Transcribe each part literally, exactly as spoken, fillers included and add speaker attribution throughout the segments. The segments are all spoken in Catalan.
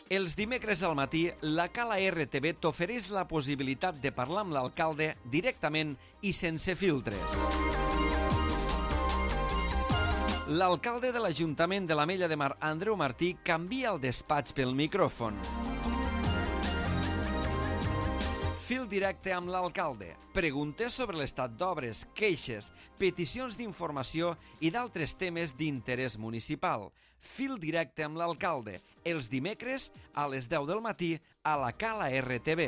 Speaker 1: Els dimecres al matí, la Cala R T V t'ofereix la possibilitat de parlar amb l'alcalde directament i sense filtres. L'alcalde de l'Ajuntament de l'Ametlla de Mar, Andreu Martí, canvia el despatx pel micròfon. Fil directe amb l'alcalde. Preguntes sobre l'estat d'obres, queixes, peticions d'informació i d'altres temes d'interès municipal. Fil directe amb l'alcalde. Els dimecres a les deu del matí a la Cala R T V.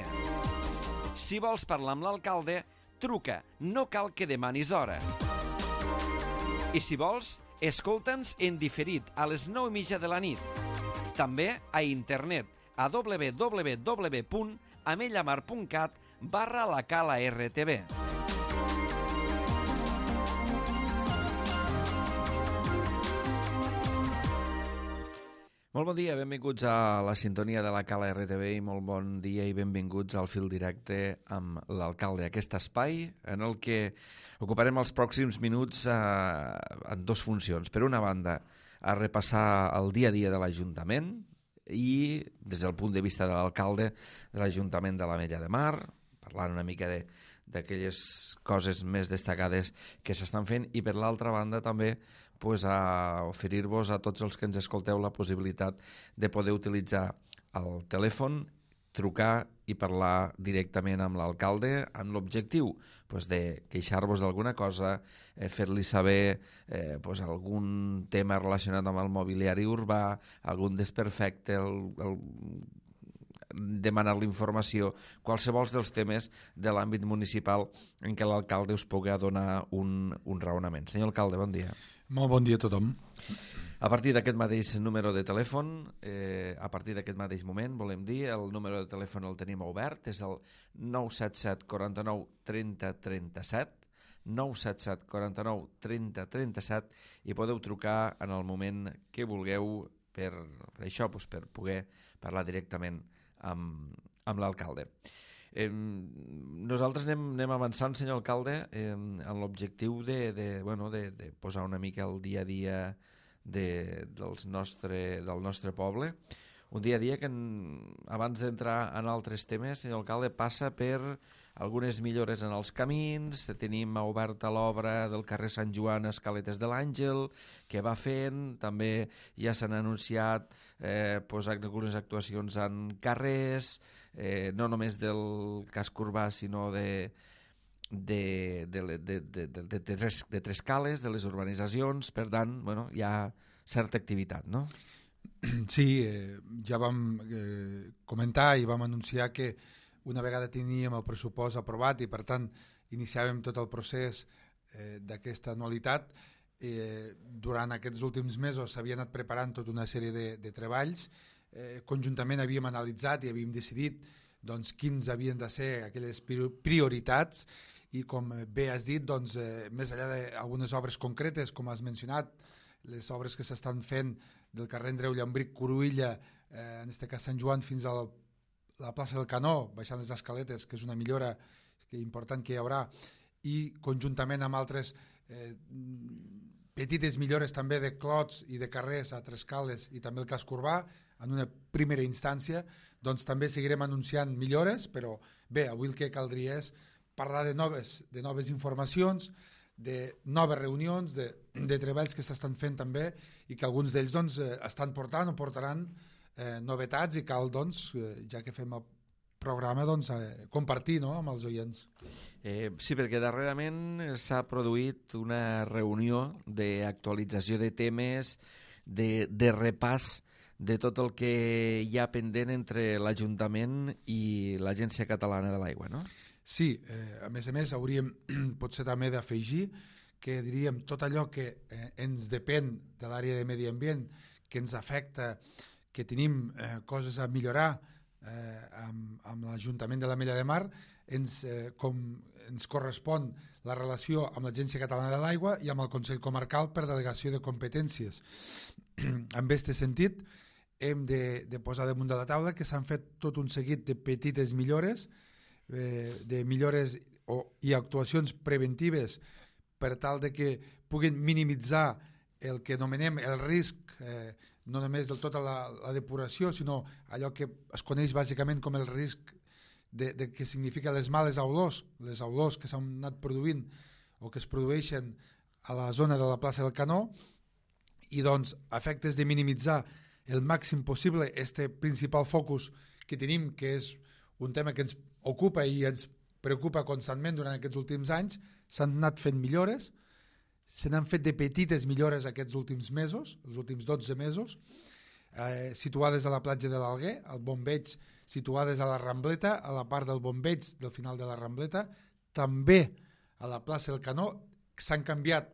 Speaker 1: Si vols parlar amb l'alcalde, truca. No cal que demanis hora. I si vols, escolta'ns en diferit a les nou i mitja de la nit. També a internet a w w w punt amellamar punt cat barra la Cala R T V. Molt bon dia, benvinguts a la sintonia de la Cala R T V i molt bon dia i benvinguts al fil directe amb l'alcalde. Aquest espai en el que ocuparem els pròxims minuts eh, en dues funcions. Per una banda, a repassar el dia a dia de l'Ajuntament i des del punt de vista de l'alcalde de l'Ajuntament de l'Ametlla de Mar, parlant una mica de d'aquelles coses més destacades que s'estan fent, i per l'altra banda també pues, a oferir-vos a tots els que ens escolteu la possibilitat de poder utilitzar el telèfon, trucar i parlar directament amb l'alcalde amb l'objectiu pues, de queixar-vos d'alguna cosa, eh, fer-li saber eh, pues, algun tema relacionat amb el mobiliari urbà, algun desperfecte, el, el demanar-li informació, qualsevol dels temes de l'àmbit municipal en què l'alcalde us pugui donar un, un raonament. Senyor alcalde, bon dia.
Speaker 2: Molt bon dia a tothom.
Speaker 1: A partir d'aquest mateix número de telèfon, eh, a partir d'aquest mateix moment, volem dir, el número de telèfon el tenim obert, és el nou set set quaranta nou trenta trenta set, nou set set quaranta nou trenta trenta set, i podeu trucar en el moment que vulgueu per això, doncs, per poder parlar directament amb, amb l'alcalde. Eh, nosaltres anem, anem avançant, senyor alcalde, eh, en l'objectiu de, de, bueno, de, de posar una mica el dia a dia de, dels nostre, del nostre poble. Un dia a dia que, en, abans d'entrar en altres temes, senyor alcalde, passa per algunes millores en els camins. Tenim oberta l'obra del carrer Sant Joan a Escaletes de l'Àngel, que va fent. També ja s'han anunciat eh, pues, algunes actuacions en carrers, eh, no només del casc urbà, sinó de, de, de, de, de, de, de, de, tres, de tres cales, de les urbanitzacions. Per tant, bueno, hi ha certa activitat, no?
Speaker 2: Sí, eh, ja vam eh, comentar i vam anunciar que una vegada teníem el pressupost aprovat i per tant iniciàvem tot el procés eh, d'aquesta anualitat, eh, durant aquests últims mesos s'havia anat preparant tota una sèrie de, de treballs. Eh, conjuntament havíem analitzat i havíem decidit doncs, quins havien de ser aquelles prioritats, i com bé has dit, doncs, eh, més enllà d'algunes obres concretes, com has mencionat, les obres que s'estan fent del carrer Andreu Llambric, Cruïlla, eh, en aquest cas Sant Joan, fins a la plaça del Canó, baixant les escaletes, que és una millora que important que hi haurà, i conjuntament amb altres eh, petites millores també de clots i de carrers a Tres Cales i també el casc urbà, en una primera instància, doncs també seguirem anunciant millores, però bé, avui el que caldria és parlar de noves, de noves informacions, de noves reunions, de, de treballs que s'estan fent també, i que alguns d'ells doncs, estan portant o portaran eh, novetats, i cal, doncs, eh, ja que fem el programa, doncs, eh, compartir, no?, amb els oients.
Speaker 1: Eh, sí, perquè darrerament s'ha produït una reunió d'actualització de temes, de, de repàs de tot el que hi ha pendent entre l'Ajuntament i l'Agència Catalana de l'Aigua, no?
Speaker 2: Sí, eh, a més a més hauríem potser també d'afegir que diríem tot allò que eh, ens depèn de l'àrea de medi ambient, que ens afecta, que tenim eh, coses a millorar eh, amb, amb l'Ajuntament de l'Ametlla de Mar, ens, eh, com ens correspon la relació amb l'Agència Catalana de l'Aigua i amb el Consell Comarcal per delegació de competències. En aquest sentit, hem de, de posar damunt de la taula que s'han fet tot un seguit de petites millores, de millores o, i actuacions preventives per tal de que puguin minimitzar el que anomenem el risc, eh, no només del tota la, la depuració, sinó allò que es coneix bàsicament com el risc de, de que significa les males olors, les olors que s'han anat produint o que es produeixen a la zona de la plaça del Canó, i doncs a efectes de minimitzar el màxim possible este principal focus que tenim, que és un tema que ens ocupa i ens preocupa constantment durant aquests últims anys, s'han anat fent millores, se n'han fet de petites millores aquests últims mesos, els últims dotze mesos, eh, situades a la platja de l'Alguer, al bombeig, situades a la Rambleta, a la part del bombeig del final de la Rambleta, també a la plaça del Canó, s'han canviat,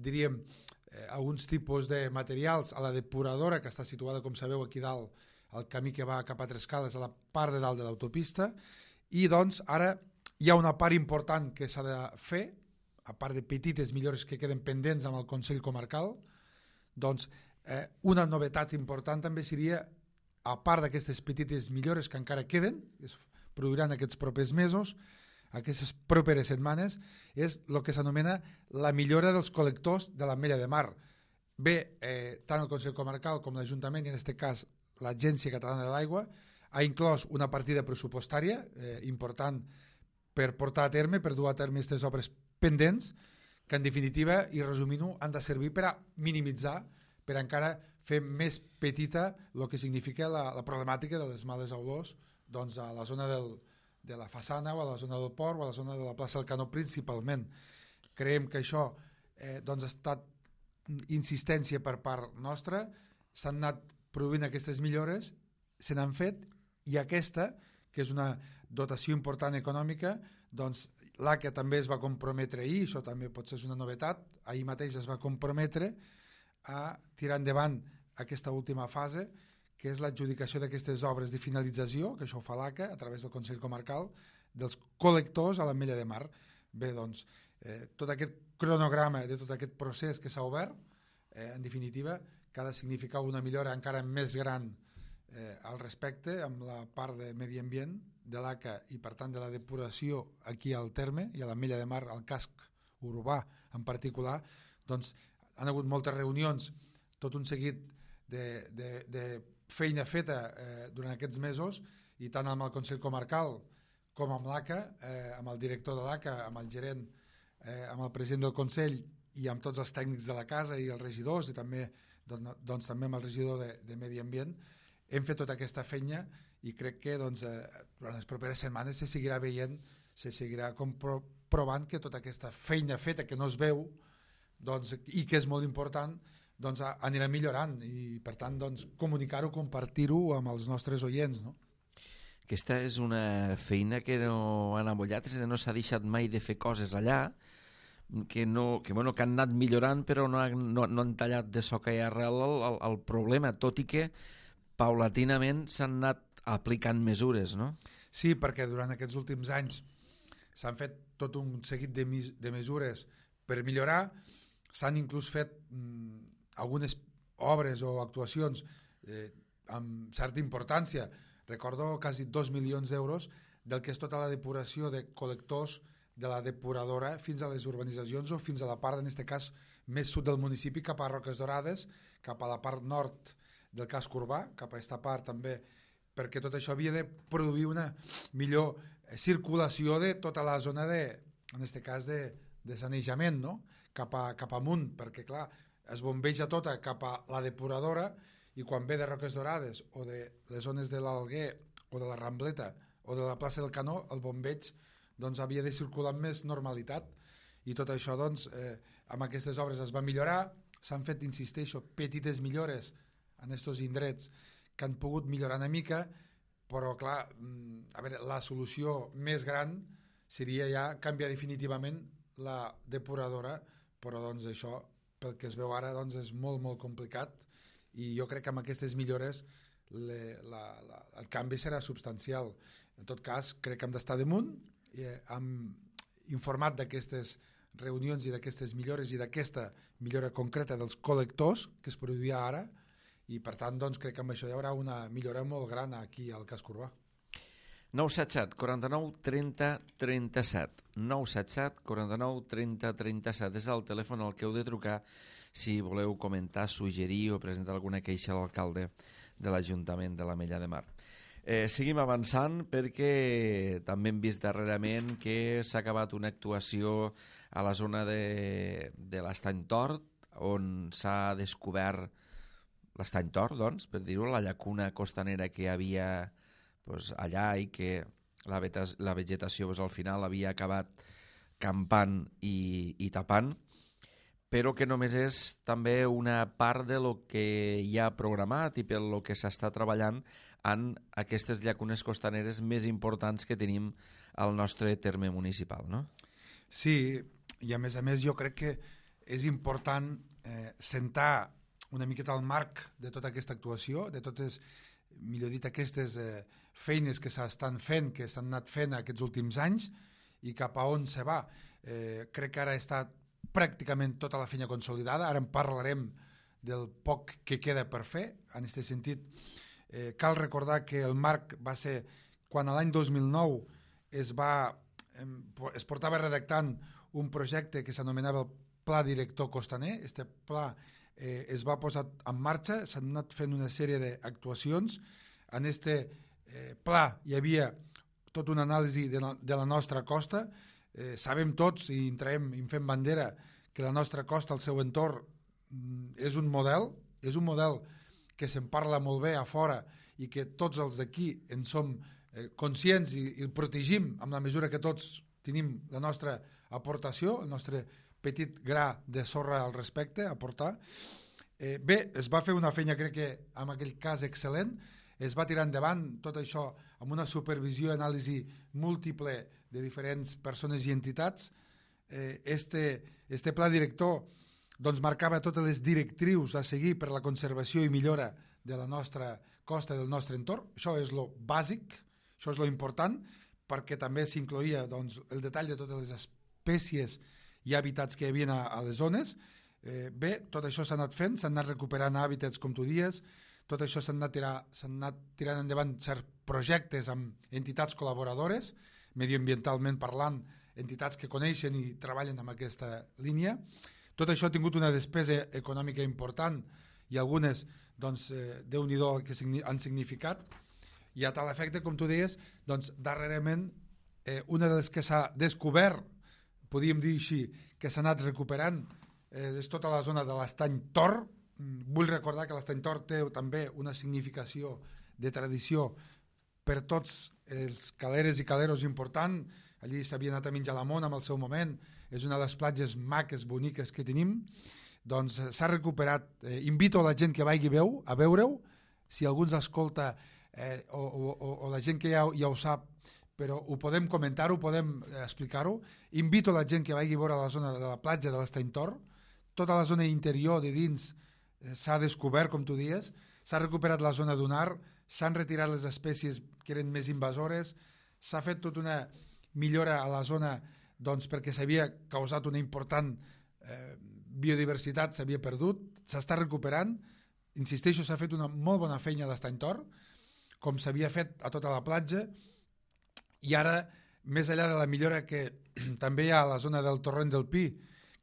Speaker 2: diríem, eh, alguns tipus de materials a la depuradora, que està situada, com sabeu, aquí dalt, al camí que va cap a Trescales, a la part de dalt de l'autopista, i doncs ara hi ha una part important que s'ha de fer, a part de petites millores que queden pendents amb el Consell Comarcal, doncs eh, una novetat important també seria, a part d'aquestes petites millores que encara queden, que es produiran aquests propers mesos, aquestes properes setmanes, és el que s'anomena la millora dels col·lectors de l'Ametlla de Mar. Bé, eh, tant el Consell Comarcal com l'Ajuntament, i en aquest cas l'Agència Catalana de l'Aigua, ha inclòs una partida pressupostària eh, important per portar a terme, per dur a terme aquestes obres pendents, que en definitiva, i resumint-ho, han de servir per a minimitzar, per a encara fer més petita el que significa la, la problemàtica de les males olors doncs, a la zona del, de la façana o a la zona del port o a la zona de la plaça del Canó principalment. Creiem que això eh, doncs ha estat insistència per part nostra, s'han anat produint aquestes millores, se n'han fet, i aquesta, que és una dotació important econòmica, doncs l'A C A també es va comprometre ahir, això també pot ser una novetat, ahir mateix es va comprometre a tirar endavant aquesta última fase, que és l'adjudicació d'aquestes obres de finalització, que això ho fa l'A C A a través del Consell Comarcal, dels col·lectors a l'Ametlla de Mar. Bé, doncs, eh, tot aquest cronograma de tot aquest procés que s'ha obert, eh, en definitiva, que ha de significar una millora encara més gran eh, al respecte, amb la part de medi ambient de l'A C A i per tant de la depuració aquí al terme i a l'Ametlla de Mar, al casc urbà en particular, doncs han hagut moltes reunions, tot un seguit de, de, de feina feta eh, durant aquests mesos, i tant amb el Consell Comarcal com amb l'A C A, eh, amb el director de l'A C A, amb el gerent, eh, amb el president del Consell i amb tots els tècnics de la casa i els regidors, i també, doncs, doncs, també amb el regidor de, de Medi Ambient, hem fet tota aquesta feina, i crec que doncs, eh, durant les properes setmanes se seguirà veient, se seguirà comprovant que tota aquesta feina feta que no es veu doncs, i que és molt important, doncs, anirà millorant, i per tant doncs, comunicar-ho, compartir-ho amb els nostres oients, no?
Speaker 1: Aquesta és una feina que no han amollat, és a dir, no s'ha deixat mai de fer coses allà, que, no, que, bueno, que han anat millorant, però no, no, no han tallat de soca i arrel el, el, el problema, tot i que paulatinament s'han anat aplicant mesures, no?
Speaker 2: Sí, perquè durant aquests últims anys s'han fet tot un seguit de, de mesures per millorar, s'han inclús fet mm, algunes obres o actuacions eh, amb certa importància. Recordo quasi dos milions d'euros del que és tota la depuració de col·lectors de la depuradora fins a les urbanitzacions o fins a la part, en aquest cas, més sud del municipi, cap a Roques Dorades, cap a la part nord del casc urbà, cap a aquesta part també, perquè tot això havia de produir una millor circulació de tota la zona de, en aquest cas, de, de sanejament, no? Cap, a, cap amunt, perquè clar, es bombeja tota cap a la depuradora, i quan ve de Roques Dorades o de les zones de l'Alguer o de la Rambleta o de la plaça del Canó, el bombeig doncs, havia de circular amb més normalitat, i tot això doncs, eh, amb aquestes obres es va millorar, s'han fet, insisteixo, petites millores en aquests indrets que han pogut millorar una mica, però clar, a veure, la solució més gran seria ja canviar definitivament la depuradora, però doncs això, pel que es veu ara, doncs és molt, molt complicat, i jo crec que amb aquestes millores le, la, la, el canvi serà substancial. En tot cas, crec que hem d'estar damunt, i hem informat d'aquestes reunions i d'aquestes millores i d'aquesta millora concreta dels col·lectors que es produïa ara, i per tant doncs, crec que amb això hi haurà una millora molt gran aquí al casc urbà.
Speaker 1: nou set set, quaranta-nou, trenta, trenta-set. nou set set, quaranta-nou, trenta, trenta-set. És el telèfon al que heu de trucar si voleu comentar, suggerir o presentar alguna queixa a l'alcalde de l'Ajuntament de l'Ametlla de Mar. Eh, seguim avançant perquè també hem vist darrerament que s'ha acabat una actuació a la zona de, de l'Estany Tort, on s'ha descobert l'Estany Tort, doncs, per dir-ho, la llacuna costanera que hi havia pues, allà i que la, vetas, la vegetació pues, al final havia acabat campant i, i tapant, però que només és també una part de lo que hi ha programat i per lo que s'està treballant en aquestes llacunes costaneres més importants que tenim al nostre terme municipal, no?
Speaker 2: Sí, i a més a més jo crec que és important eh, sentar una miqueta el marc de tota aquesta actuació, de totes, millor dit, aquestes eh, feines que s'estan fent, que s'han anat fent aquests últims anys i cap a on se va. Eh, crec que ara està pràcticament tota la feina consolidada, ara en parlarem del poc que queda per fer, en aquest sentit. Eh, cal recordar que el marc va ser quan l'any dos mil nou es, va, eh, es portava redactant un projecte que s'anomenava el Pla Director Costaner. Este pla eh, es va posar en marxa, s'han anat fent una sèrie d'actuacions. En este eh, pla hi havia tota una anàlisi de la, de la nostra costa. Eh, sabem tots i entrarem i fem bandera que la nostra costa, el seu entorn, és un model, és un model que se'n parla molt bé a fora i que tots els d'aquí en som eh, conscients i, i el protegim amb la mesura que tots tenim la nostra aportació, el nostre petit gra de sorra al respecte a aportar. Eh, bé, es va fer una feina, crec que en aquell cas excel·lent, es va tirar endavant tot això amb una supervisió i anàlisi múltiple de diferents persones i entitats. Eh, este, este pla director doncs marcava totes les directrius a seguir per la conservació i millora de la nostra costa i del nostre entorn. Això és lo bàsic, això és lo important, perquè també s'incloïa doncs, el detall de totes les espècies i hàbitats que hi havia a, a les zones. Eh, bé, tot això s'ha anat fent, s'han anat recuperant hàbitats, com tu dies, tot això s'han anat, tirar, s'han anat tirant endavant certs projectes amb entitats col·laboradores, mediambientalment parlant, entitats que coneixen i treballen en aquesta línia. Tot això ha tingut una despesa econòmica important i algunes, doncs, eh, Déu-n'hi-do el que han significat. I a tal efecte, com tu deies, doncs, darrerament, eh, una de les que s'ha descobert, podríem dir així, que s'ha anat recuperant, eh, és tota la zona de l'Estany Tort. Vull recordar que l'Estany Tort té també una significació de tradició per tots els caleres i caleros important. Allí s'havia anat a menjar la mona en el seu moment, és una de les platges maques, boniques que tenim. Doncs s'ha recuperat. Eh, invito a la gent que vagi veu, a veure-ho, si algú ens escolta eh, o, o, o la gent que ja, ja ho sap, però ho podem comentar-ho, podem explicar-ho. Invito a la gent que vagi a veure la zona de la platja de l'Estany Tort. Tota la zona interior de dins eh, s'ha descobert, com tu dies, s'ha recuperat la zona dunar, s'han retirat les espècies que eren més invasores, s'ha fet tota una millora a la zona doncs, perquè s'havia causat una important eh, biodiversitat, s'havia perdut, s'està recuperant. Insisteixo, s'ha fet una molt bona feina a l'Estany Tort, com s'havia fet a tota la platja, i ara, més enllà de la millora que també hi ha a la zona del Torrent del Pi,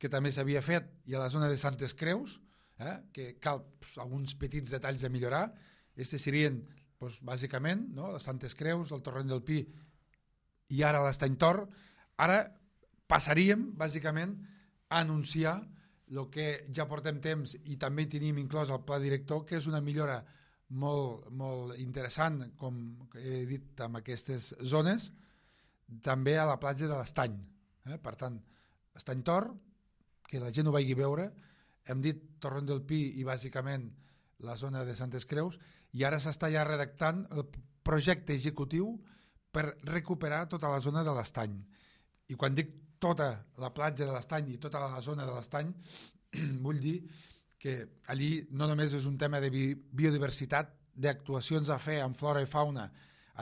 Speaker 2: que també s'havia fet, i a la zona de Santes Creus, eh, que cal pues, alguns petits detalls a millorar. Estes serien, pues, bàsicament, no? Les Santes Creus, el Torrent del Pi i ara l'Estany Tort. Ara passaríem, bàsicament, a anunciar el que ja portem temps i també tenim inclòs al pla director, que és una millora molt, molt interessant, com he dit, amb aquestes zones, també a la platja de l'Estany. Eh? Per tant, Estany Tort, que la gent ho vagi veure, hem dit Torrent del Pi i bàsicament la zona de Santes Creus, i ara s'està ja redactant el projecte executiu per recuperar tota la zona de l'Estany. I quan dic tota la platja de l'Estany i tota la zona de l'Estany, vull dir que allí no només és un tema de biodiversitat, d'actuacions a fer en flora i fauna,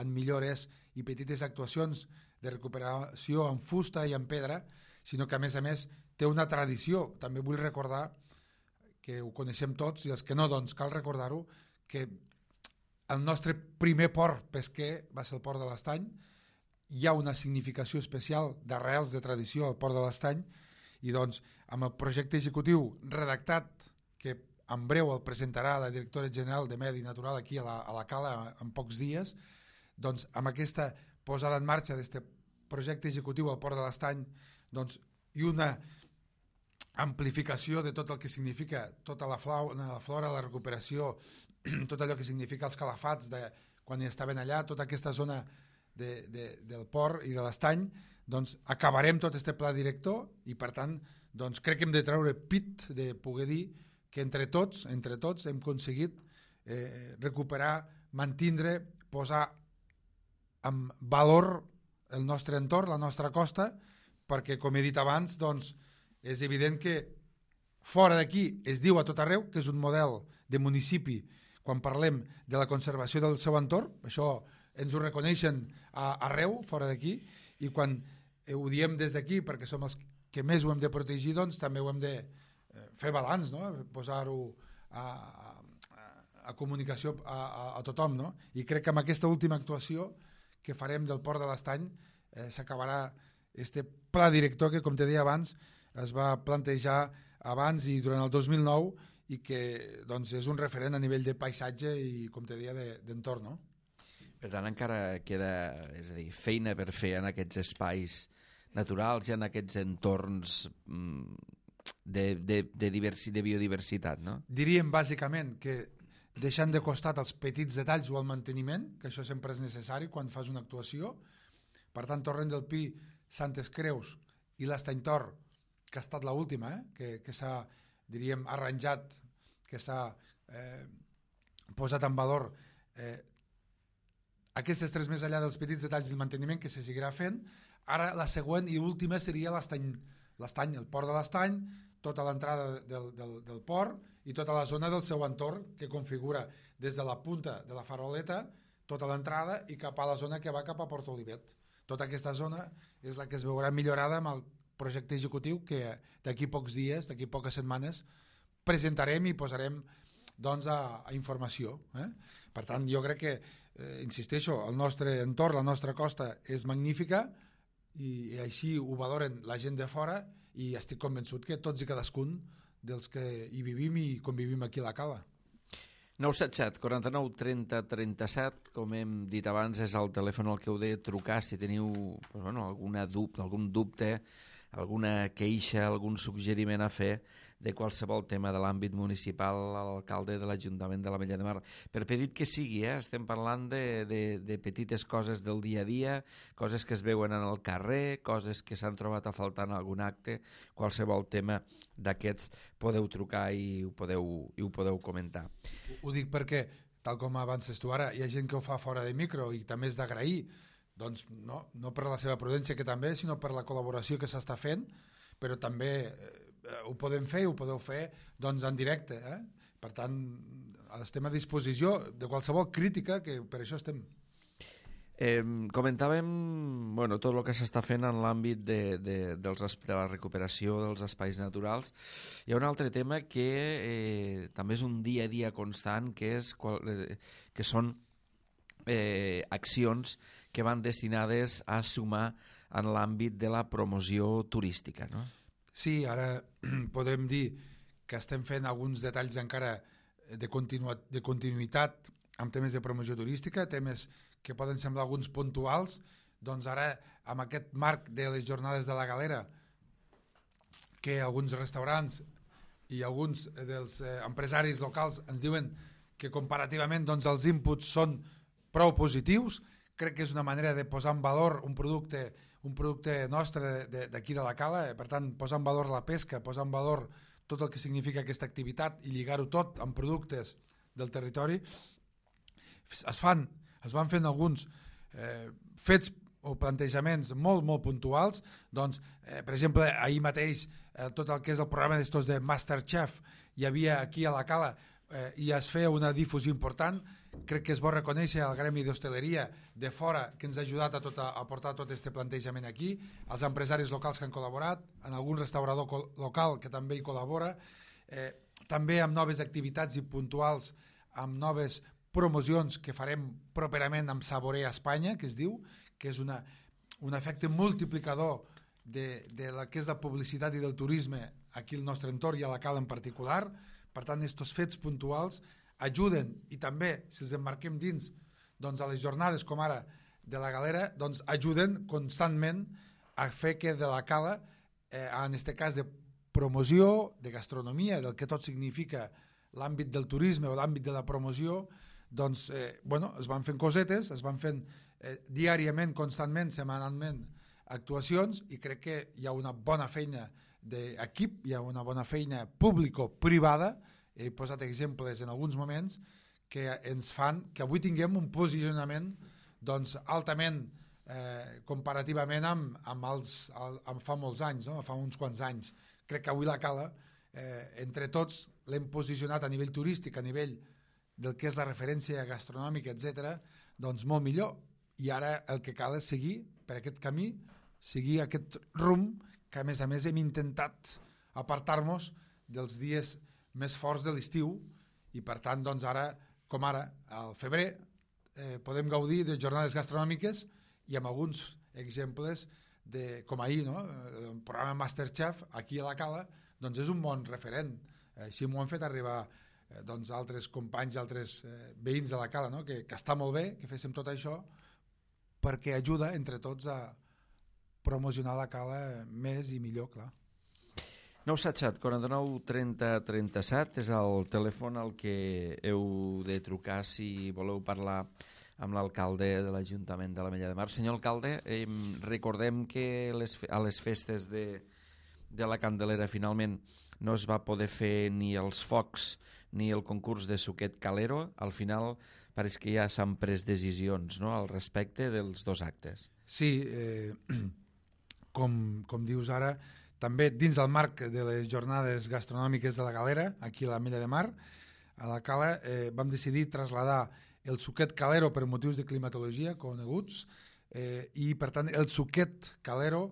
Speaker 2: en millores i petites actuacions de recuperació en fusta i en pedra, sinó que a més a més té una tradició. També vull recordar que ho coneixem tots, i els que no, doncs cal recordar-ho, que el nostre primer port pesquer va ser el port de l'Estany. Hi ha una significació especial d'arrels de tradició al port de l'Estany, I doncs, amb el projecte executiu redactat, que en breu el presentarà la directora general de Medi Natural aquí a la, a la Cala en pocs dies, doncs amb aquesta posada en marxa d'aquest projecte executiu al Port de l'Estany, doncs, i una amplificació de tot el que significa tota la flora, la, flora, la recuperació, tot allò que significa els calafats de quan hi estaven allà, tota aquesta zona de, de, del port i de l'estany, doncs acabarem tot aquest pla director i per tant doncs, crec que hem de treure pit de poder dir que entre tots, entre tots hem aconseguit eh, recuperar, mantindre, posar en valor el nostre entorn, la nostra costa, perquè com he dit abans, doncs, és evident que fora d'aquí es diu a tot arreu que és un model de municipi quan parlem de la conservació del seu entorn, això ens ho reconeixen a, arreu, fora d'aquí, i quan ho diem des d'aquí perquè som els que més ho hem de protegir, doncs també ho hem de fer balanç, no? Posar-ho a, a, a comunicació a, a, a tothom, no? I crec que amb aquesta última actuació que farem del Port de l'Estany eh, s'acabarà este pla director que, com te deia abans, es va plantejar abans i durant el dos mil nou i que doncs, és un referent a nivell de paisatge i, com te deia, d'entorn, no?
Speaker 1: Per tant, encara queda, és a dir, feina per fer en aquests espais naturals i en aquests entorns de, de, de, diversi, de biodiversitat, no?
Speaker 2: Diríem, bàsicament, que deixant de costat els petits detalls o el manteniment, que això sempre és necessari quan fas una actuació. Per tant, Torrent del Pi, Santes Creus i l'Estany Tor, que ha estat l'última, eh? que, que s'ha, diríem, arranjat, que s'ha eh, posat en valor eh, aquestes tres més enllà dels petits detalls del manteniment que se seguirà fent. Ara la següent i última seria l'Estany, l'Estany, el Port de l'Estany, tota l'entrada del, del, del port i tota la zona del seu entorn que configura des de la punta de la faroleta tota l'entrada i cap a la zona que va cap a Port Olivet. Tota aquesta zona és la que es veurà millorada amb el projecte executiu que d'aquí pocs dies, d'aquí poques setmanes, presentarem i posarem doncs, a, a informació. Eh? Per tant, jo crec que, eh, insisteixo, el nostre entorn, la nostra costa és magnífica i, i així ho valoren la gent de fora i estic convençut que tots i cadascun dels que hi vivim i convivim aquí a la Cala.
Speaker 1: nou set set, quaranta-nou, trenta, trenta-set, com hem dit abans, és el telèfon al que heu de trucar si teniu pues, bueno, alguna dubte, algun dubte, alguna queixa, algun suggeriment a fer de qualsevol tema de l'àmbit municipal a l'alcalde de l'Ajuntament de l'Ametlla de Mar. Per petit que sigui, eh? Estem parlant de, de, de petites coses del dia a dia, coses que es veuen en el carrer, coses que s'han trobat a faltar en algun acte, qualsevol tema d'aquests podeu trucar i ho podeu, i ho podeu comentar.
Speaker 2: Ho, ho dic perquè, tal com avances tu ara, hi ha gent que ho fa fora de micro i també és d'agrair, doncs no, no per la seva prudència que també, sinó per la col·laboració que s'està fent, però també eh, ho podem fer, ho podeu fer doncs, en directe. Eh? Per tant, estem a disposició de qualsevol crítica, que per això estem.
Speaker 1: Eh, comentàvem bueno, tot el que s'està fent en l'àmbit de, de, dels, de la recuperació dels espais naturals. Hi ha un altre tema que eh, també és un dia a dia constant, que, és, eh, que són eh, accions que van destinades a sumar en l'àmbit de la promoció turística, no?
Speaker 2: Sí, ara podrem dir que estem fent alguns detalls encara de, continu de continuïtat amb temes de promoció turística, temes que poden semblar alguns puntuals, doncs ara amb aquest marc de les jornades de la Galera, que alguns restaurants i alguns dels eh, empresaris locals ens diuen que comparativament doncs, els inputs són prou positius. Crec que és una manera de posar en valor un producte un producte nostre d'aquí de la Cala, per tant, posar en valor la pesca, posar en valor tot el que significa aquesta activitat i lligar-ho tot amb productes del territori. Es fan, es van fent alguns eh, fets o plantejaments molt, molt puntuals, doncs, eh, per exemple, ahir mateix eh, tot el que és el programa d'estos de Masterchef hi havia aquí a la Cala eh, i es feia una difusió important. Crec que és bo reconèixer al gremi d'hostaleria de fora que ens ha ajudat a, tot a, a portar tot aquest plantejament aquí, als empresaris locals que han col·laborat, en algun restaurador local que també hi col·labora, eh, també amb noves activitats i puntuals, amb noves promocions que farem properament amb Saborea Espanya, que es diu, que és una, un efecte multiplicador de, de la que és la publicitat i del turisme aquí al nostre entorn i a la Cala en particular. Per tant, aquests fets puntuals ajuden, i també, si els emmarquem dins, doncs a les jornades com ara de la Galera, doncs ajuden constantment a fer que de la Cala, eh, en aquest cas de promoció, de gastronomia, del que tot significa l'àmbit del turisme o l'àmbit de la promoció, doncs, eh, bueno, es van fent cosetes, es van fent eh, diàriament, constantment, setmanalment, actuacions, i crec que hi ha una bona feina d'equip, hi ha una bona feina público-privada, he posat exemples en alguns moments, que ens fan que avui tinguem un posicionament doncs, altament eh, comparativament amb, amb, els, amb fa molts anys, no? Fa uns quants anys. Crec que avui la Cala, eh, entre tots, l'hem posicionat a nivell turístic, a nivell del que és la referència gastronòmica, etcètera, doncs molt millor. I ara el que cal és seguir per aquest camí, seguir aquest rumb que a més a més hem intentat apartar-nos dels dies més forts de l'estiu, i per tant doncs ara, com ara, al febrer, eh, podem gaudir de jornades gastronòmiques i amb alguns exemples de, com ahir, no? El programa Masterchef aquí a la Cala, doncs és un bon referent. Així m'ho han fet arribar eh, doncs altres companys, altres eh, veïns de la Cala, no? que, que està molt bé que féssim tot això perquè ajuda entre tots a promocionar la Cala més i millor, clar.
Speaker 1: nou set set quaranta-nou trenta trenta-set és el telèfon al que heu de trucar si voleu parlar amb l'alcalde de l'Ajuntament de l'Ametlla de Mar. Senyor alcalde, eh, recordem que les, a les festes de, de la Candelera finalment no es va poder fer ni els focs ni el concurs de suquet calero. Al final pareix que ja s'han pres decisions, no?, al respecte dels dos actes.
Speaker 2: Sí, eh, com, com dius ara, també dins del marc de les jornades gastronòmiques de la Galera, aquí a l'Ametlla de Mar, a la Cala, eh, vam decidir traslladar el suquet calero per motius de climatologia coneguts, eh, i per tant el suquet calero,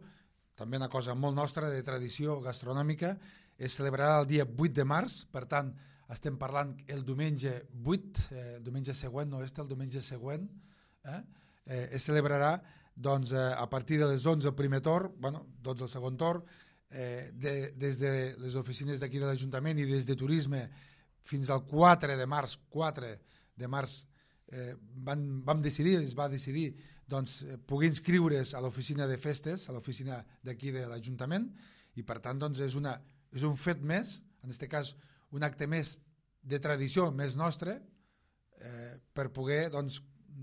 Speaker 2: també una cosa molt nostra de tradició gastronòmica, es celebrarà el dia vuit de març, per tant estem parlant el diumenge vuit, eh, el diumenge següent, no este, el diumenge següent, eh, eh, es celebrarà doncs, eh, a partir de les onze el primer torn, bueno, dotze el segon torn, eh, de, des de les oficines d'aquí de l'Ajuntament i des de Turisme fins al quatre de març, quatre de març, eh, van, vam decidir, es va decidir doncs, eh, poder inscriure's a l'oficina de festes, a l'oficina d'aquí de l'Ajuntament, i per tant doncs, és, una, és un fet més, en aquest cas un acte més de tradició, més nostre, eh, per poder doncs,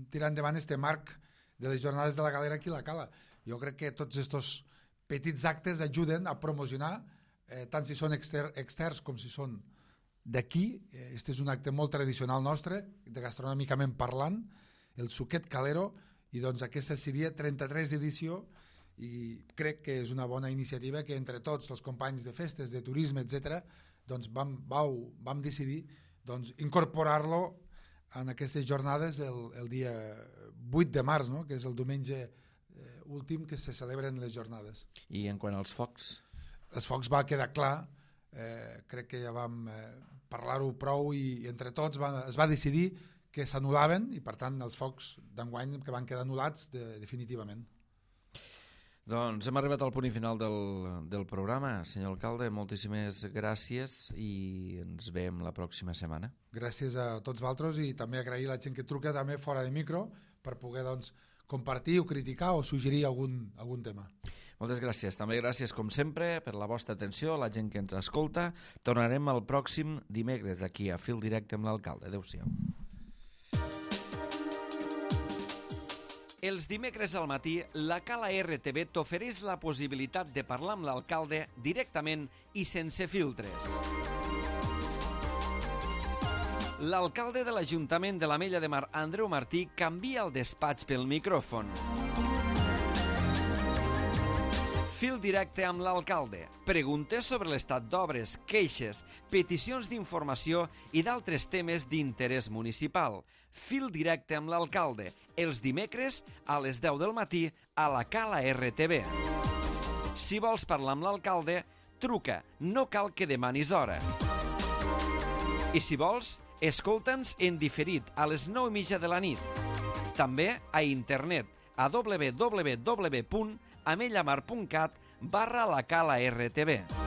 Speaker 2: tirar endavant este marc de les jornades de la Galera aquí a la Cala. Jo crec que tots aquests petits actes ajuden a promocionar, eh, tant si són exter externs com si són d'aquí. Este és un acte molt tradicional nostre, de gastronòmicament parlant, el suquet calero, i doncs aquesta seria trenta-tres edició, i crec que és una bona iniciativa que entre tots els companys de festes, de turisme, etcètera, doncs vam, vau, vam decidir doncs, incorporar-lo en aquestes jornades el, el dia vuit de març, no? Que és el diumenge eh, últim que se celebren les jornades.
Speaker 1: I en quant als focs?
Speaker 2: Els focs va quedar clar, eh, crec que ja vam eh, parlar-ho prou i, i entre tots va, es va decidir que s'anul·laven i per tant els focs d'enguany que van quedar anul·lats de, definitivament.
Speaker 1: Doncs hem arribat al punt final del, del programa. Senyor alcalde, moltíssimes gràcies i ens veiem la pròxima setmana.
Speaker 2: Gràcies a tots vosaltres i també agrair a la gent que truca també fora de micro per poder doncs, compartir o criticar o suggerir algun, algun tema.
Speaker 1: Moltes gràcies. També gràcies, com sempre, per la vostra atenció, la gent que ens escolta. Tornarem el pròxim dimecres aquí a Fil Directe amb l'alcalde. Adéu-siau. Els dimecres al matí, la Cala R T V t'ofereix la possibilitat de parlar amb l'alcalde directament i sense filtres. L'alcalde de l'Ajuntament de l'Ametlla de Mar, Andreu Martí, canvia el despatx pel micròfon. Fil directe amb l'alcalde. Preguntes sobre l'estat d'obres, queixes, peticions d'informació i d'altres temes d'interès municipal. Fil directe amb l'alcalde. Els dimecres a les deu del matí a la Cala R T V. Si vols parlar amb l'alcalde, truca. No cal que demanis hora. I si vols, escolta'ns en diferit a les nou i mitja de la nit. També a internet a w w w punt ametlla mar punt cat barra la Cala R T B.